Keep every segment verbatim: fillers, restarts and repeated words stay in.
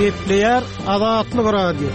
Gepleýär Azatlyk Radio.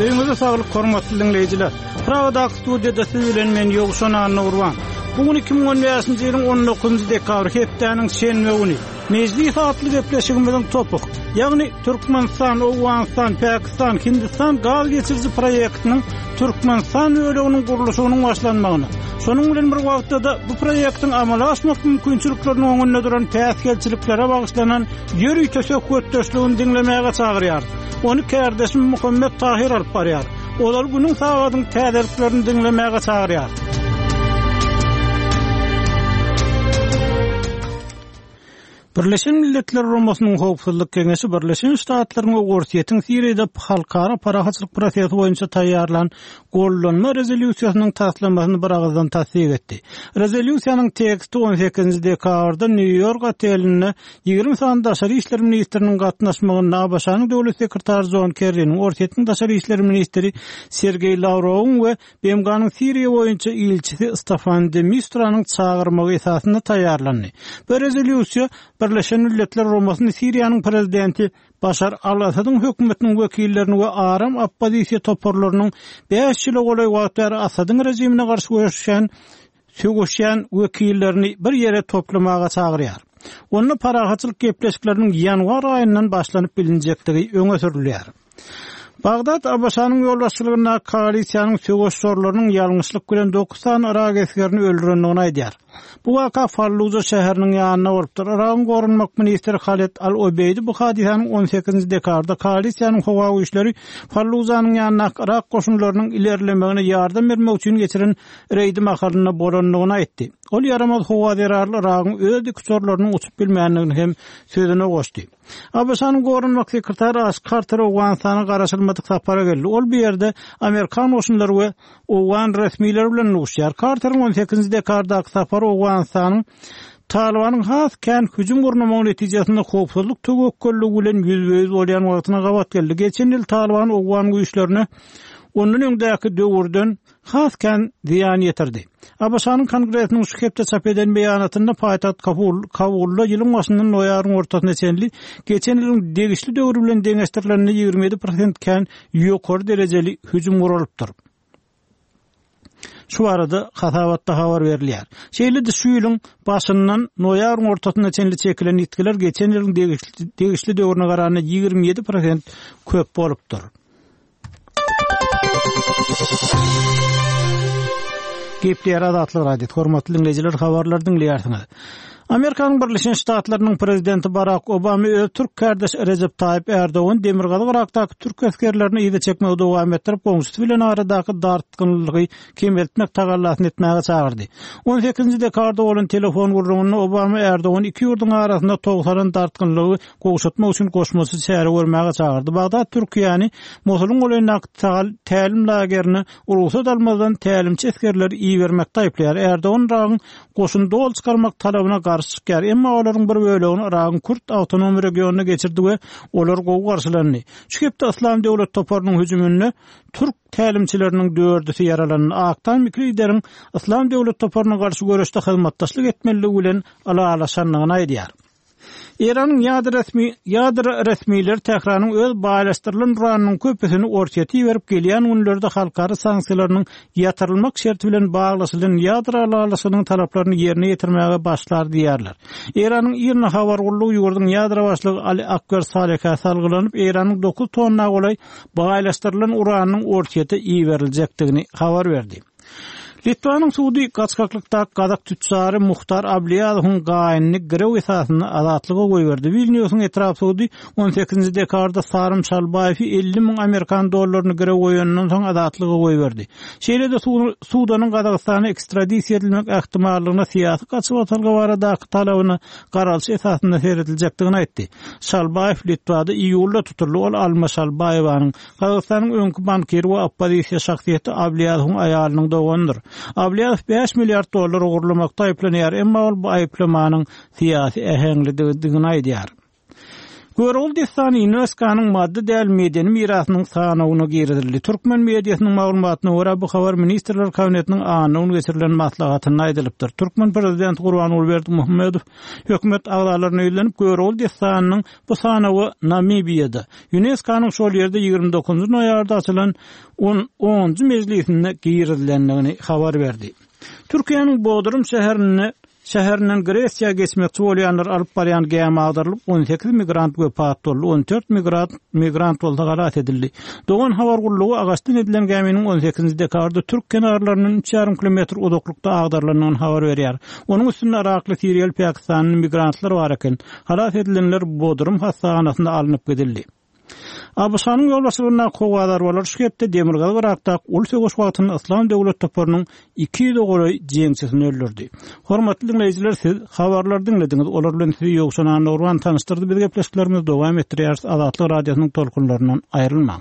Öýüňize saglyk hormatly dinleýjiler. Pragadaky studiýada siz bilen men Ýowşan Annagurban. Bu gün iki müň on bäşinji ýylyň on dokuzynjy dekabry hepdäniň şenbe güni. Mejlis atly gepleşigimiziň topuk, ýagny Türkmenistan, Owganystan, Pakistan, Hindistan gaz geçiriji proýektiniň Türkmenistan böleginiň gurluşygynyň başlanmagyna, şonuň bilen bir wagtda da bu proýektiň amala aşmak mümkinçilikleriniň öňünde duran päsgelçiliklere bagyşlanan ýörite söhbetdeşligini diňlemäge çagyrýar. Ony kärdeşim Muhammet Tahir alyp barýar. Olar günüň sagadyň täzeliklerini diňlemäge çagyrýar. Birleşen Milletler Guramasynyň Howpsuzlyk Keňeşi Birleşen Ştatlaryň we Orsýetiň Siriýada halkara parahatçylyk prosesi boýunça taýýarlan gollanma rezolýusiýasynyň taslamasyny bir ağızdan tassyk etdi. Rezolýusiýanyň teksti on sekizinji dekabrda Nýu-Ýork otelinde ýigrimi sany daşary işler ministriniň gatnaşmagynda A B Ş-nyň döwlet sekretary John Kerry'niň, Orsýetiň daşary işler ministri Sergeý Lawrowyň we B M G-nyň Siriýa boýunça ilçisi Stefan de Misturanyň çagyrmagy esasynda taýýarlandy. Bu rezolýusiýa Birleşen Milletler Guramasynyň Siriýanyň prezidenti Başar al-Asadyň hökümetiniň wekillerini we aram oppozisiýa toparlarynyň bäş ýyla golaý wagt bäri Asadyň režimine garşy göreşýän, söweşýän wekillerini bir ýere toplamaga çagyrýar. Onda parahatçylyk gepleşikleriniň ýanwar aýyndan başlanyp bilinjekdigi öňe sürülýär. Bagdat A B Ş-nyň ýolbaşçylygynda koalisiýanyň söweş şorlarynyň ýalňyşlyk bilen dokuz sany Irak esgerini öldürendigini aýdýar. Bu waka Falluja şäheriniň ýanynda bolupdyr. Iragyň goranmak ministri Halid Al-Obeýdi bu hadysanyň on sekizinji dekabrda koalisiýanyň howa güýçleri Fallujanyň ýanyndaky Irak goşunlarynyň ilerlemegine ýardam bermek üçin geçiren reýdi mahalynda bolandygyny aýtdy. Ol ýaramaz howa zerarly Iragyň öz dikuçarlarynyň uçup bilmändigini hem sözüne goşdy. A B Ş-nyň goranmak sekretary Aş Carter Owganystana garaşylmadyk sapara geldi. Ol bu ýerde Amerikan goşunlary we Owgan resmileri bilen duşýar. Carteriň on sekizinji dekabrdaky sapary Owganystanyň Talibanyň has kän hüjüm gurnamagy netijesinde howpsuzlyk töwekgelligi bilen ýüzbe-ýüz bolýan wagtyna gabat geldi. Geçen ýyl Taliban Owgan güýçlerine ondan öňdäki döwürden has kän zyýan ýetirdi. A B Ş-nyň Kongresiniň şu hepde çap eden beýanatynda paýtagt Kabul, Kabulda ýylyň başyndan noýabryň ortasyna çenli geçen ýylyň degişli döwri bilen deňeşdirilende ýigrimi ýedi prosent kän ýokary derejeli hüjüm guralypdyr. Şu arada hasabatda habar berilýär. Şeýle-de şu ýylyň başyndan noýabryň ortasyna çenli çekilen ýitgiler geçen ýylyň degişli, degişli döwrüne garanda ýigrimi ýedi prosent köp bolupdyr. Gepleýär Azatlyk Radiosy. Hormatly dinleýjiler, habarlar dinleýärsiňiz. Amerikanyň Birleşen Ştatlarynyň prezidenti Barack Obama öz türk kardeşi Recep Tayyip Erdogan Demirgazyk Irakdaky türk esgerlerini yza çekmegi dowam etdirip, goňşusy bilen aradaky dartgynlygy kemeltmek tagallasyny etmäge çagyrdy. on sekizinji dekabrda bolan telefon gürrüňinde Obama Erdogan iki ýurduň arasynda togsalan dartgynlygy gowşatmak üçin goşmaça çäre görmäge çagyrdy. Bagdat Türkiýäni Mosulyň golaýyndaky tagal-, tälim lagerine rugsat almazdan tälimçi esgerleri ibermekde aýyplaýar. Erdogan Iragyň goşun dol çykarmak talabyna garşy çykýar. Emma olaryň bir bölegini Iragyň Kürt awtonom regionyna geçirdi we olar gowy garşylandy. Şu hepde Islam döwlet toparynyň hüjüminde türk tälimçileriniň dördüsi ýaralandy. Aktan Mikli lideriň Islam döwlet toparyna garşy göreşde hyzmatdaşlyk etmeliligi bilen alalaşandygyny aýdýar. Eýranyň ýadro resmi, ýadro resmileri Tähranyň öz baýlaşdyrylan uranynyň köpüsini Orsýete iberip gelýän günlerde halkara sanksiýalarynyň ýatyrylmak şerti bilen baglaşylan ýadro alalaşygynyň talaplaryny ýerine ýetirmäge başlar diýýärler. Eýranyň IRNA habar gullugy ýurduň ýadro başlygy Ali Akbar Salihä salgylanyp, Eýranyň dokuz tonna golaý baýlaşdyrylan uranynyň Orsýete iberiljekdigini habar berdi. Litwanyň sudy gaçgaklykda Gazak tüçjary Muhtar Abliýazowyň gaýynyny girew esasynda azatlyga goýberdi. Vilniusyň etrap sudy on sekizinji dekabrda Sarym Şalbaýewi elli müň amerikan dollaryny girew goýandan soň azatlyga goýberdi. Şeýle-de su-, Sudanyň Gazagystana ekstradisiýa edilmek ähtimallygyna syýasy gaçybatalga baradaky talabyna garalyş esasynda serediljekdigini aýtdy. Şalbaýew Litwada iýulda tutuldy. Ol Alma Şalbaýewanyň Gazagystanyň öňki bankiri we oppozisiýa şahsyýeti Abliýazowyň aýalynyň doganydyr. Abliýazow bäş milliard dollar ogurlamakda aýyplanýar, emma ol bu aýyplamanyň syýasy äheňlidigini aýdýar. Görogly dessany UNESKO-nyň maddy däl medeni mirasynyň sanawyna girizildi. Türkmen mediasynyň maglumatyna görä, bu habar Ministrler Kabinetiniň anna güni geçirilen maslahatynda aýdylypdyr. Türkmen prezidenti Gurbanguly Berdimuhamedow hökümet agzalaryna ýüzlenip, Görogly dessanynyň bu sanawa Namibiýada, UNESKO-nyň şol ýerde ýigrimi dokuzynjy noýabrda açylan on onunjy mejlisinde girizilendigini habar berdi. Türkiýäniň Bodrum şäherinde şäherinden Gresiýa geçmekçi bolýanlar alyp barýan gämi agdarylyp, on sekiz migrant wepat boldy, on dört migrant, migrant bolsa halas edildi. Dogan habar gullugy agaçdan edilen gäminiň on sekizinji dekabrda türk kenarlaryndan üç ýarym kilometr uzaklykda agdarylandygyny habar berýär. Onuň üstünde Irakly, Siriýaly, Pakistanly migrantlar bar eken. Halas edilenler Bodrum hassahanasynda alnyp gidildi. ABŞ-nyň ýolbaşçylygyndaky howa zarbalary şu hepde Demirgazyk Irakdaky uly söweş wagtynda Yslam döwlet toparynyň iki ýüze golaý jeňçisini öldürdi. Hormatly diňleýjiler, siz habarlary diňlediňiz. Olar bilen sizi Ýowşan Annagurban tanyşdyrdy. Biz gepleşiklerimizi dowam etdirýäris. Azatlyk radiosynyň tolkunlaryndan aýrylmaň.